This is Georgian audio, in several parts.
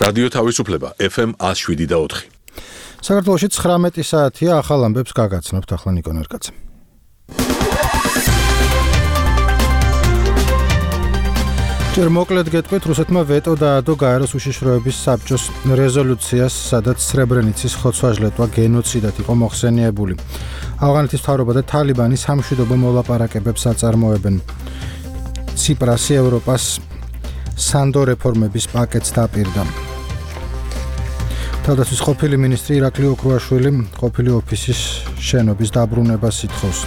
რადიო თავისუფლება FM 107.4. საქართველოში 19 საათია, ახალ ამბებს გაგაცნობთ ახლა ნიკო ნერკაძე. ჯერ მოკლედ გეტყვით, რუსეთმა ვეტო დაადო გაეროს უშიშროების საბჭოს რეზოლუციას, სადაც სრებრენიცის ხოცვა-ჟლეტვა გენოციდად იყო მოხსენიებული. ავღანეთის მთავრობა და თალიბანი სამშვიდობო მოლაპარაკებებს აწარმოებენ. ციპრასი ევროპას სანდო რეფორმების პაკეტს დაპირდა. თავდაცვის ყოფილი მინისტრი ირაკლი ოქრუაშვილი ყოფილი ოფისის შენობის დაბრუნებას ითხოვს.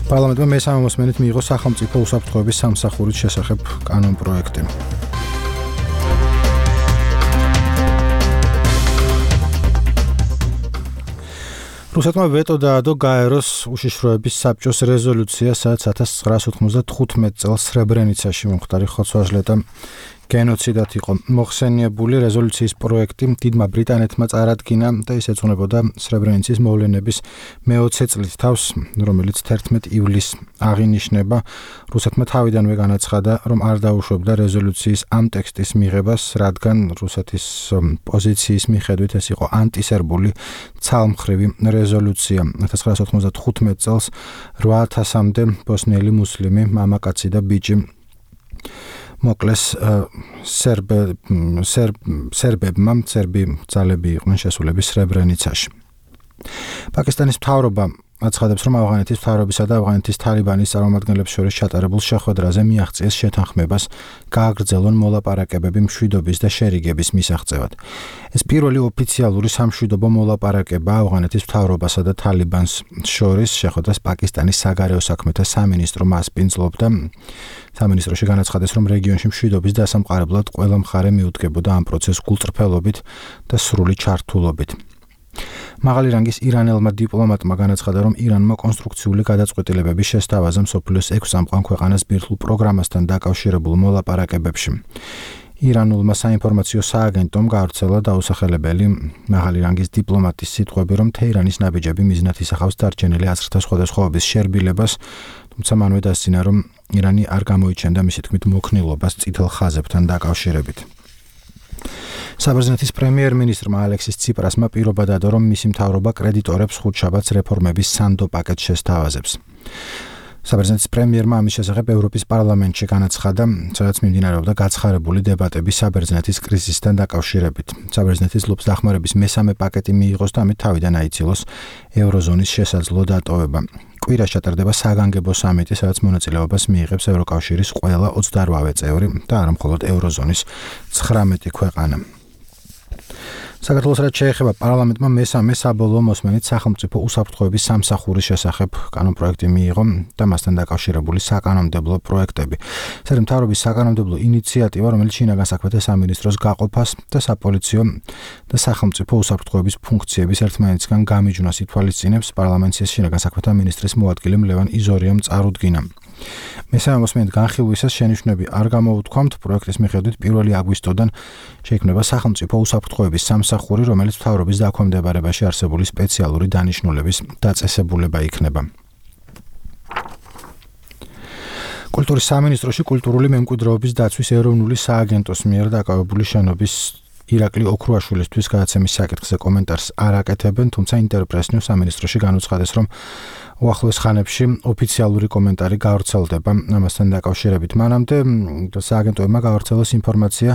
პარლამენტმა მესამე მოსმენით მიიღო სახელმწიფო უსაფრთხოების სამსახურის შესახებ კანონპროექტი. რუსეთმა ვეტო დაადო გაეროს უშიშროების საბჭოს რეზოლუციას, სადაც 1995 წელს სრებრენიცაში მომხდარი ხოცვა-ჟლეტა გენოციდად იყო მოხსენიებული. რეზოლუციის პროექტი დიდმა ბრიტანეთმა წარადგინა და ის ეძღვნებოდა სრებრენიცის მოვლენების მე-20 წლის თავს, რომელიც 11 ივლისს აღინიშნება. რუსეთმა თავიდანვე განაცხადა, რომ არ დაუშვებდა რეზოლუციის ამ ტექსტის მიღებას, რადგან რუსეთის პოზიციის მიხედვით ეს იყო ანტისერბული ცალმხრივი რეზოლუცია. 1995 წელს 8000-მდე ბოსნიელი მუსლიმი, მამაკაცი და ბიჭი მოკლეს სერბებმა, სერბი ძალები იყვნენ შესულები სრებრენიცაში. პაკისტანის მთავრობა აცხადებს, რომ ავღანეთის მთავრობისა და ავღანეთის თალიბანის წარმომადგენლებს შორის ჩატარებულ შეხვედრაზე მიაღწიეს შეთანხმებას გააგრძელონ მოლაპარაკებები მშვიდობის და შერიგების მისაღწევად. ეს პირველი ოფიციალური სამშვიდობო მოლაპარაკება ავღანეთის მთავრობასა და თალიბანს შორის. შეხვედრას პაკისტანის საგარეო საქმეთა სამინისტრო მასპინძლობდა. სამინისტროში განაცხადეს, რომ რეგიონში მშვიდობის დასამყარებლად ყველა მხარე მიუდგებოდა ამ პროცესს გულწრფელობით და სრული ჩართულობით. მაღალი რანგის ირანელმა დიპლომატმა განაცხადა, რომ ირანმა კონსტრუქციული გადაწყვეტილებების შესთავაზა მსოფლიოს 6 წამყვან ქვეყანას ბირთვულ პროგრამასთან დაკავშირებულ მოლაპარაკებებში. ირანულმა საინფორმაციო სააგენტომ გავრცელა დაუსახელებელი მაღალი რანგის დიპლომატის სიტყვები, რომ თეირანის ნაბიჯები მიზნად ისახავს დარჩენილი აზრთა სხვადასხვაობის შერბილებას, თუმცა მანვე დასცინა, რომ ირანი არ გამოიჩენდა მისი თქმით მოქნილობას წითელ ხაზებთან დაკავშირებით. საბერძნეთის პრემიერ-მინისტრმა ალექსის ციპრასმა პირობა დადო, რომ მისი მთავრობა კრედიტორებს ხუთშაბათს რეფორმების სანდო პაკეტს შესთავაზებს. საბერძნეთის პრემიერმა ამის შესახებ ევროპის პარლამენტში განაცხადა, სადაც მიმდინარეობდა გაცხარებული დებატები საბერძნეთის კრიზისთან დაკავშირებით. საბერძნეთის ლობს დახმარების მესამე პაკეტი მიიღოს და ამით თავიდან აიცილოს ევროზონის შესაძლო დატოვება. კვირას ჩატარდება საგანგებო სამიტი, სადაც მონაწილეობას მიიღებს ევროკავშირის ყველა 28 წევრი და არა მხოლოდ ევროზონის 19 ქვეყანა. საქართველოს რაც შეეხება, პარლამენტმა მესამე საბოლოო მოსმენით სახელმწიფო უსაფრთხოების სამსახურის შესახებ კანონპროექტი მიიღო და მასთან დაკავშირებული საკანონმდებლო პროექტები. ეს მთავრობის საკანონმდებლო ინიციატივა, რომელიც შინაგან საქმეთა სამინისტროს გაყოფას და საპოლიციო და სახელმწიფო უსაფრთხოების ფუნქციების ერთმანეთისგან გამიჯვნას ითვალისწინებს, პარლამენტის შინაგან საქმეთა მინისტრის მოადგილემ ლევან იზორიამ წარუდგინა. მესამე მოსმენით განხილვისას შენიშვნები არ გამოუთქვამთ. პროექტის მიხედვით 1 აგვისტოდან შეიქმნება სახელმწიფო უსაფრთხოების სამსახური, რომელიც მთავრობის დაქვემდებარებაში არსებული სპეციალური დანიშნულების დაწესებულება იქნება. კულტურის სამინისტროში კულტურული მემკვიდრეობის დაცვის ეროვნული სააგენტოს მიერ დაკავებული შენობის ირაკლი ოქრუაშვილისთვის გადაცემის საკითხზე კომენტარს არ აკეთებენ, თუმცა ინტერპრესნიუ სამინისტროში განუცხადეს, რომ უახლოეს ხანებში ოფიციალური კომენტარი გავრცელდება ამასთან დაკავშირებით. მანამდე სააგენტოებმა გავრცელოს ინფორმაცია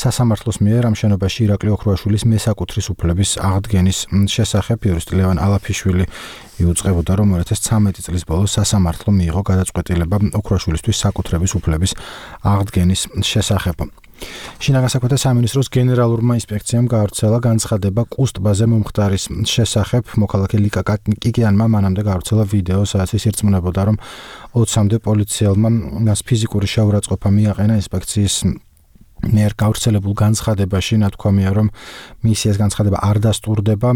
სასამართლოს მიერ ამ შენობაში ირაკლი ოქრუაშვილის მესაკუთრის უფლების აღდგენის შესახებ. იურისტი ლევან ალაფიშვილი იუწყებოდა, რომ 2013 წლის ბოლოს სასამართლო მიიღო გადაწყვეტილება ოქრუაშვილისთვის საკუთრების უფლების აღდგენის შესახებ. შინაგან საქმეთა სამინისტროს გენერალურმა ინსპექციამ გავრცელა განცხადება კუს ტბაზე მომხდარის შესახებ. მოქალაქე ლიკა კიკიანმა მანამდე გავრცელა ვიდეო, სადაც ის ირწმუნებოდა, რომ 20-მდე პოლიციელმა მას ფიზიკური შეურაცხყოფა მიაყენა. ინსპექციის მიერ გავრცელებულ განცხადებაში ნათქვამია, რომ მისიას განცხადება არ დასტურდება.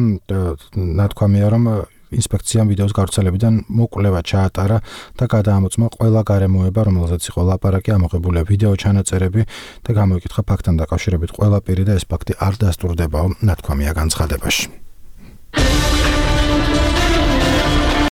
ნათქვამია, რომ ინსპექციამ ვიდეოს გავრცელებიდან მოკვლევა ჩაატარა და გადაამოწმა ყველა გარემოება, რომელზეც იყო ლაპარაკი, ამოღებულია ვიდეო ჩანაწერები და გამოიკითხა ფაქტთან დაკავშირებით ყველა პირი და ეს ფაქტი არ დასტურდებაო, ნათქვამია განცხადებაში.